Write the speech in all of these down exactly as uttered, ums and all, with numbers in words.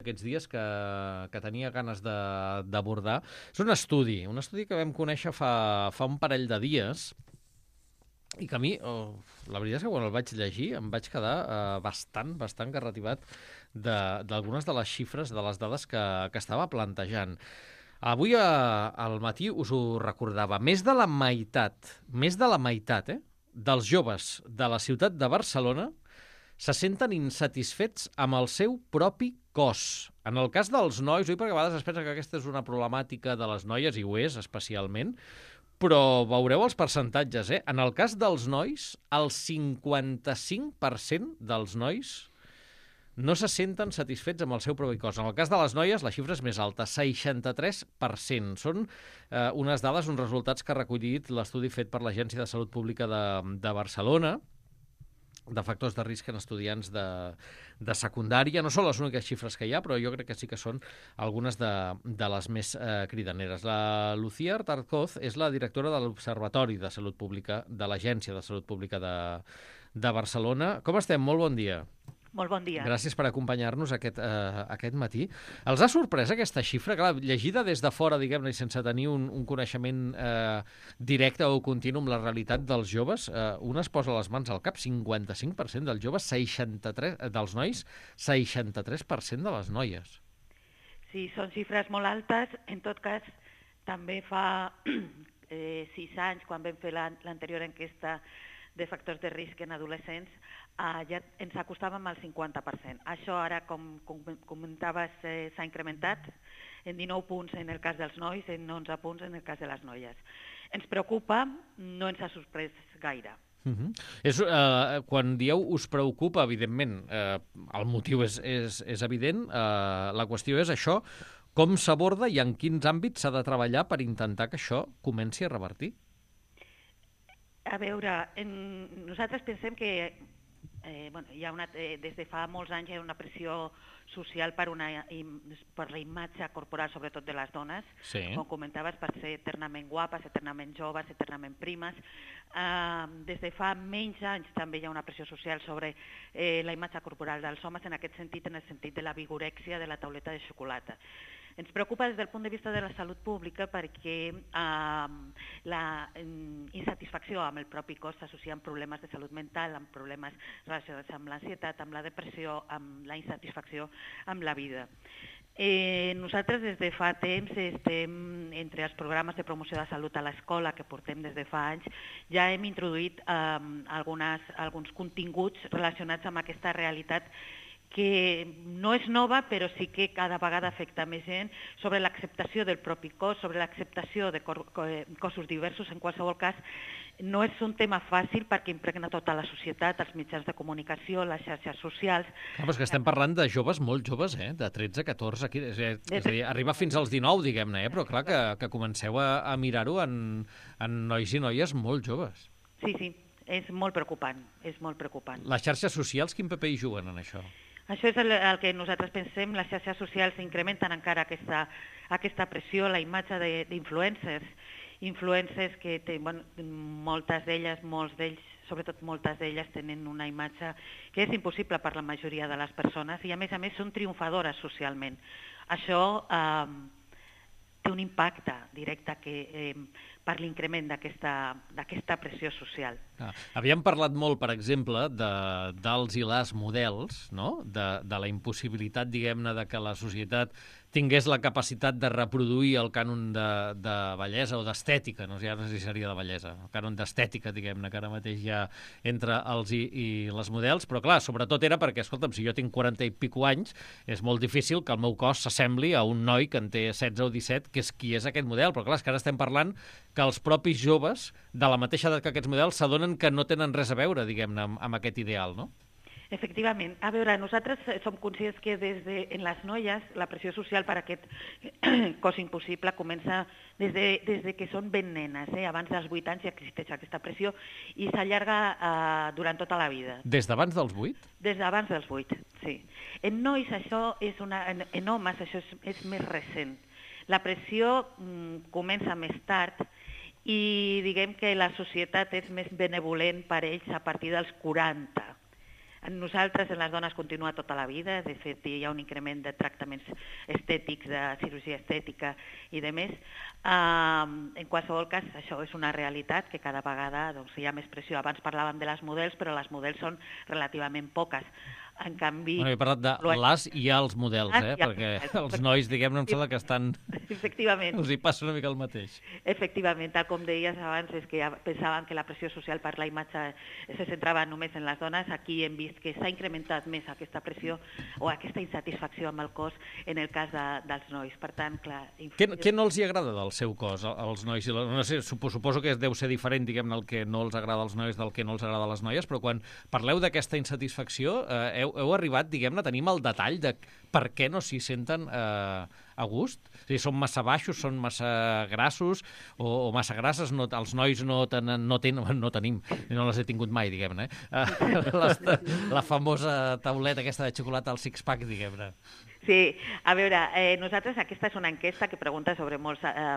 aquests dies que, que tenia ganes d'abordar. És un estudi, un estudi que vam conèixer fa, fa un parell de dies i que a mi, oh, la veritat és que quan el vaig llegir em vaig quedar eh, bastant, bastant garrativat d'algunes de, de les xifres, de les dades que, que estava plantejant. Avui a, al matí us ho recordava, més de la meitat, més de la meitat, eh, dels joves de la ciutat de Barcelona se senten insatisfets amb el seu propi cos. En el cas dels nois, oi, perquè a vegades es pensa que aquesta és una problemàtica de les noies, i ho és especialment, però veureu els percentatges, eh? En el cas dels nois, el cinquanta-cinc per cent dels nois no se senten satisfets amb el seu propi cos. En el cas de les noies, la xifra és més alta, seixanta-tres per cent. Són eh, unes dades, uns resultats que ha recollit l'estudi fet per l'Agència de Salut Pública de, de Barcelona, de factors de risc en estudiants de, de secundària. No són les úniques xifres que hi ha, però jo crec que sí que són algunes de, de les més eh, cridaneres. La Lucía Artarcoz és la directora de l'Observatori de Salut Pública de l'Agència de Salut Pública de, de Barcelona. Com estem? Molt bon dia. Molt bon dia. Gràcies per acompanyar-nos aquest, eh, aquest matí. Els ha sorprès aquesta xifra? Clar, llegida des de fora, diguem-ne, sense tenir un, un coneixement eh, directe o continu amb la realitat dels joves, eh, un es posa les mans al cap, cinquanta-cinc per cent dels joves, seixanta-tres per cent dels nois, seixanta-tres per cent de les noies. Sí, són xifres molt altes. En tot cas, també fa eh, sis anys, quan vam fer l'anterior enquesta de factors de risc en adolescents, eh, ja ens acostàvem al cinquanta per cent. Això ara, com, com comentaves, eh, s'ha incrementat en dinou punts en el cas dels nois, en onze punts en el cas de les noies. Ens preocupa, no ens ha sorprès gaire. Uh -huh. és, eh, quan dieu us preocupa, evidentment, eh, el motiu és, és, és evident, eh, la qüestió és això, com s'aborda i en quins àmbits s'ha de treballar per intentar que això comenci a revertir? A veure, en, nosaltres pensem que eh, bueno, hi ha una, eh, des de fa molts anys hi ha una pressió social per, una, per la imatge corporal, sobretot de les dones, sí. Com comentaves, per ser eternament guapes, eternament joves, eternament primes. Eh, des de fa menys anys també hi ha una pressió social sobre eh, la imatge corporal dels homes, en aquest sentit, en el sentit de la vigorèxia de la tauleta de xocolata. Ens preocupa des del punt de vista de la salut pública perquè eh, la insatisfacció amb el propi cos s'associa amb problemes de salut mental, amb problemes relacionats amb l'ansietat, amb la depressió, amb la insatisfacció amb la vida. Eh, nosaltres des de fa temps estem entre els programes de promoció de salut a l'escola que portem des de fa anys, ja hem introduït eh, algunes, alguns continguts relacionats amb aquesta realitat que no és nova, però sí que cada vegada afecta més gent, sobre l'acceptació del propi cos, sobre l'acceptació de cossos diversos. En qualsevol cas, no és un tema fàcil perquè impregna tota la societat, els mitjans de comunicació, les xarxes socials. No, però és que estem parlant de joves molt joves, eh? De tretze, catorze, és a dir, arriba fins als dinou, diguem-ne, eh? Però clar que, que comenceu a, a mirar-ho en, en nois i noies molt joves. Sí, sí, és molt preocupant, és molt preocupant. Les xarxes socials, quin paper hi juguen en això? Això és el, el que nosaltres pensem, les xarxes socials incrementen encara aquesta, aquesta pressió, la imatge d'influencers, influencers que té, bueno, moltes d'elles, molts d'ells, sobretot moltes d'elles tenen una imatge que és impossible per la majoria de les persones i a més a més són triomfadores socialment. Això eh, té un impacte directe que, eh, per l'increment d'aquesta pressió social. Ah, havíem parlat molt, per exemple, de, dels i les models, no? de, de la impossibilitat, diguem-ne, de que la societat tingués la capacitat de reproduir el cànon de, de bellesa o d'estètica, no sé, ja no sé si seria de bellesa, el cànon d'estètica, diguem-ne, que ara mateix hi ha entre els i, i les models, però clar, sobretot era perquè, escolta'm, si jo tinc quaranta i pico anys, és molt difícil que el meu cos s'assembli a un noi que en té setze o disset, que és qui és aquest model, però clar, és que ara estem parlant que els propis joves, de la mateixa edat que aquests models, s'adonen que no tenen res a veure, diguem-ne, amb, amb aquest ideal, no? Efectivament. A veure, nosaltres som conscients que des de, en les noies la pressió social per a aquest cos impossible comença des de, des de que són ben nenes. Eh? Abans dels vuit anys ja existeix aquesta pressió i s'allarga eh, durant tota la vida. Des d'abans dels vuit? Des d'abans dels vuit, sí. En nois això és una... En, en homes això és, és més recent. La pressió mm, comença més tard i diguem que la societat és més benevolent per ells a partir dels quaranta. En nosaltres, en les dones, continua tota la vida. De fet, hi ha un increment de tractaments estètics, de cirurgia estètica i de més. Uh, en qualsevol cas, això és una realitat que cada vegada doncs, hi ha més pressió. Abans parlàvem de les models, però les models són relativament poques. En canvi... Bueno, he parlat de les i els models, eh? Ah, Perquè els nois, diguem-ne, em sembla que estan... Efectivament. Els hi passa una mica el mateix. Efectivament, tal com deies abans, és que pensaven que la pressió social per la imatge se centrava només en les dones. Aquí hem vist que s'ha incrementat més aquesta pressió o aquesta insatisfacció amb el cos en el cas de, dels nois. Per tant, clar... Què, què no els hi agrada del seu cos, als nois? No sé, suposo que deu ser diferent, diguem-ne, el que no els agrada als nois del que no els agrada a les noies, però quan parleu d'aquesta insatisfacció, eh, heu, heu arribat, diguem-ne, a tenir el detall de per què no s'hi senten eh, a gust? O sigui, són massa baixos, són massa grassos o, o massa grasses? No, els nois no, tenen, no, tenen, no tenim, no les he tingut mai, diguem-ne. Eh? Les, la famosa tauleta aquesta de xocolata al six-pack, diguem-ne. Sí, a veure, eh, nosaltres aquesta és una enquesta que pregunta sobre molts, eh,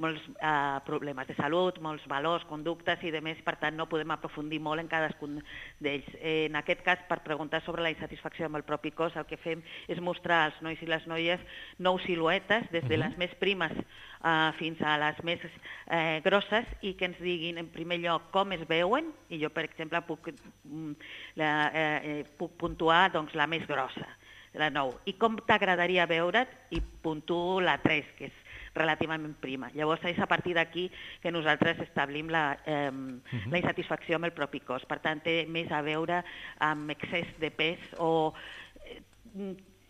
molts eh, problemes de salut, molts valors, conductes i demés, per tant no podem aprofundir molt en cadascun d'ells. Eh, en aquest cas, per preguntar sobre la insatisfacció amb el propi cos, el que fem és mostrar als nois i les noies nou siluetes, des de les més primes eh, fins a les més eh, grosses, i que ens diguin en primer lloc com es veuen, i jo per exemple puc, la, eh, puc puntuar doncs, la més grossa, la nou. I com t'agradaria veure't? I puntuo la tres, que és relativament prima. Llavors és a partir d'aquí que nosaltres establim la, eh, uh-huh. la insatisfacció amb el propi cos. Per tant, té més a veure amb excés de pes o... Eh,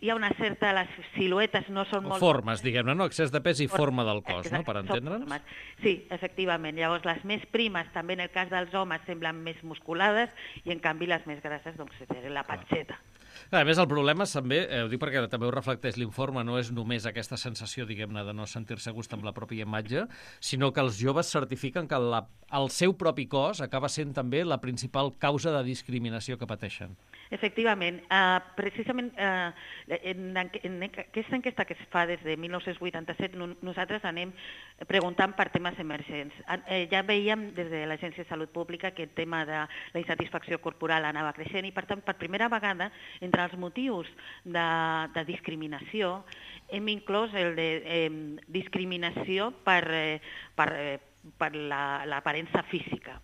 hi ha una certa... Les siluetes no són molt... Formes, diguem-ne, no? Excés de pes i forma del cos, no? Per entendre'ns. Sí, efectivament. Llavors, les més primes, també en el cas dels homes, semblen més musculades i, en canvi, les més grasses, doncs, és la patxeta. A més, el problema també, eh, ho dic perquè també ho reflecteix l'informe, no és només aquesta sensació, diguem-ne, de no sentir-se a gust amb la pròpia imatge, sinó que els joves certifiquen que la, el seu propi cos acaba sent també la principal causa de discriminació que pateixen. Efectivament. Uh, precisament uh, en, en aquesta enquesta que es fa des de dinou vuitanta-set, no, nosaltres anem preguntant per temes emergents. Uh, ja veiem des de l'Agència de Salut Pública que el tema de la insatisfacció corporal anava creixent i, per tant, per primera vegada, entre els motius de, de discriminació, hem inclòs el de eh, discriminació per, eh, per, eh, per l'aparença la, física.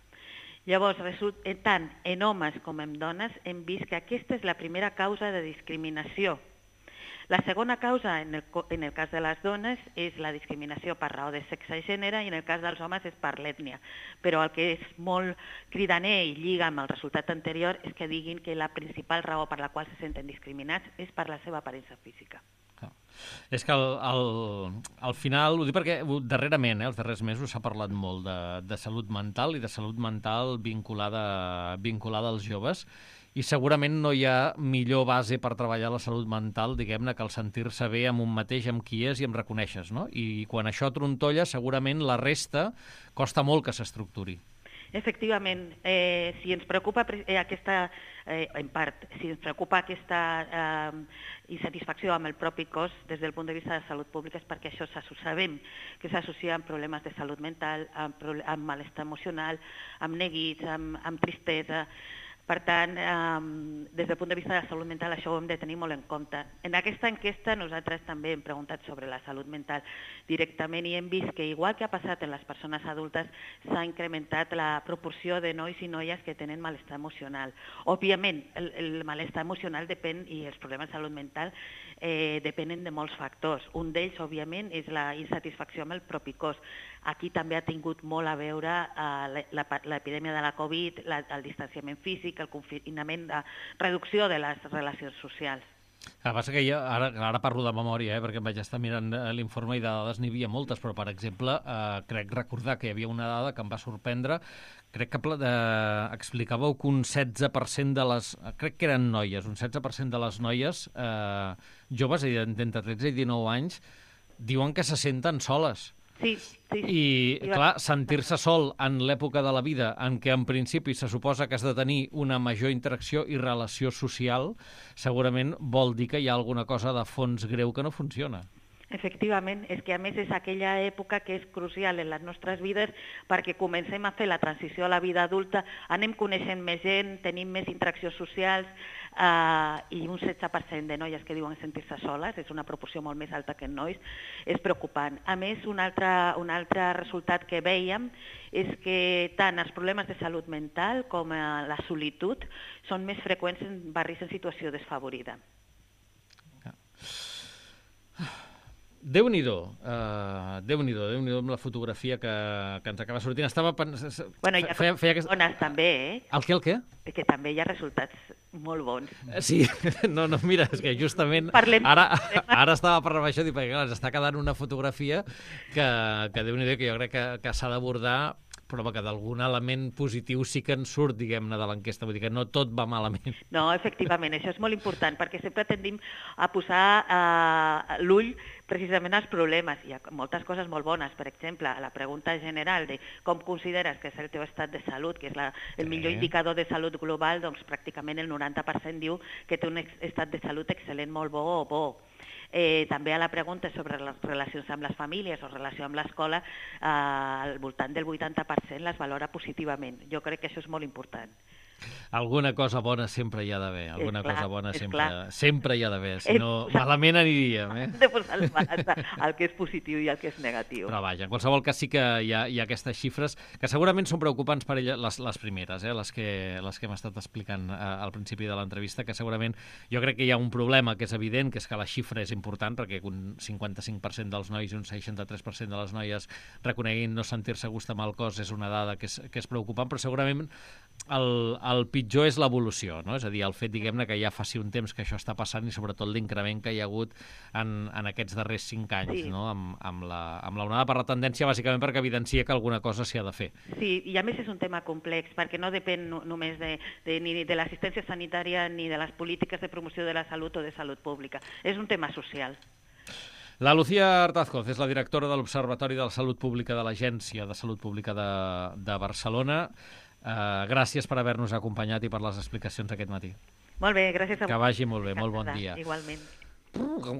Llavors, tant en homes com en dones, hem vist que aquesta és la primera causa de discriminació. La segona causa, en el, en el cas de les dones, és la discriminació per raó de sexe i gènere, i en el cas dels homes és per l'ètnia. Però el que és molt cridaner i lliga amb el resultat anterior és que diguin que la principal raó per la qual se senten discriminats és per la seva aparença física. És que al, al, al final, ho dic perquè darrerament, eh, els darrers mesos s'ha parlat molt de, de salut mental i de salut mental vinculada, vinculada als joves, i segurament no hi ha millor base per treballar la salut mental, diguem-ne, que el sentir-se bé amb un mateix, amb qui és i amb reconeixes, no? I quan això trontolla, segurament la resta costa molt que s'estructuri. Efectivament, eh, si ens preocupa eh, aquesta, eh, en part, si ens preocupa aquesta eh, insatisfacció amb el propi cos des del punt de vista de salut pública, és perquè això sabem que s'associa amb problemes de salut mental, amb, amb malestar emocional, amb neguits, amb, amb tristesa. Per tant, eh, des del punt de vista de la salut mental, això ho hem de tenir molt en compte. En aquesta enquesta nosaltres també hem preguntat sobre la salut mental directament i hem vist que, igual que ha passat en les persones adultes, s'ha incrementat la proporció de nois i noies que tenen malestar emocional. Òbviament, el, el malestar emocional depèn, i els problemes de salut mental eh, depenen de molts factors. Un d'ells, òbviament, és la insatisfacció amb el propi cos. Aquí també ha tingut molt a veure eh, l'epidèmia de la Covid, la, el distanciament físic, el confinament, de reducció de les relacions socials. El que passa que jo ara, ara parlo de memòria, eh, perquè em vaig estar mirant l'informe i de dades n'hi havia moltes, però, per exemple, eh, crec recordar que hi havia una dada que em va sorprendre. Crec que eh, explicàveu que un setze per cent de les... Crec que eren noies, un setze per cent de les noies eh, joves, d'entre tretze i dinou anys, diuen que se senten soles. Sí, sí, sí. I, clar, sentir-se sol en l'època de la vida en què en principi se suposa que has de tenir una major interacció i relació social, segurament vol dir que hi ha alguna cosa de fons greu que no funciona. Efectivament, és que a més és aquella època que és crucial en les nostres vides perquè comencem a fer la transició a la vida adulta, anem coneixent més gent, tenim més interaccions socials, uh, i un setze per cent de noies que diuen sentir-se soles, és una proporció molt més alta que en nois, és preocupant. A més, un altre, un altre resultat que vèiem és que tant els problemes de salut mental com uh, la solitud són més freqüents en barris en situació desfavorida. Déu-n'hi-do, uh, Déu-n'hi-do, Déu-n'hi-do amb la fotografia que, que ens acaba sortint. Estava pensant... Bueno, hi ha feia, feia aquest... bones també, eh? El què, el què? Que també hi ha resultats molt bons. Sí, no, no, mira, és que justament Parlem... ara, ara estava parlant això, dic, perquè clar, ens està quedant una fotografia que, que Déu-n'hi-do, que jo crec que, que s'ha d'abordar, però que d'algun element positiu sí que en surt, diguem-ne, de l'enquesta. Vull dir que no tot va malament. No, efectivament, això és molt important, perquè sempre tendim a posar eh, l'ull precisament als problemes. Hi ha moltes coses molt bones. Per exemple, la pregunta general de com consideres que és el teu estat de salut, que és la, el millor indicador de salut global, doncs pràcticament el noranta per cent diu que té un estat de salut excel·lent, molt bo o bo. Eh, també a la pregunta sobre les relacions amb les famílies o relació amb l'escola, eh, al voltant del vuitanta per cent les valora positivament. Jo crec que això és molt important. Alguna cosa bona sempre hi ha d'haver, alguna clar, cosa bona sempre, clar. sempre hi ha d'haver, si no malament aniríem. Eh? De posar el el que és positiu i el que és negatiu. Però vaja, en qualsevol cas sí que hi ha, hi ha aquestes xifres que segurament són preocupants per ella, les, les primeres, eh? les que, les que hem estat explicant eh, al principi de l'entrevista, que segurament jo crec que hi ha un problema que és evident, que és que la xifra és important, perquè un cinquanta-cinc per cent dels nois i un seixanta-tres per cent de les noies reconeguin no sentir-se a gust amb el cos és una dada que és, que és preocupant, però segurament el, el pitjor és l'evolució, no? És a dir, el fet, diguem-ne, que ja faci un temps que això està passant i sobretot l'increment que hi ha hagut en, en aquests darrers cinc anys, sí. no? amb, amb, la, amb la onada per la tendència, bàsicament perquè evidencia que alguna cosa s'hi ha de fer. Sí, i a més és un tema complex, perquè no depèn només de, de, ni de l'assistència sanitària ni de les polítiques de promoció de la salut o de salut pública. És un tema social. La Lucía Artazcoz és la directora de l'Observatori de la Salut Pública de l'Agència de Salut Pública de, de Barcelona. Uh, gràcies per haver-nos acompanyat i per les explicacions aquest matí. Molt bé, gràcies a Que vagi molt bé, molt bon dia. Igualment. Com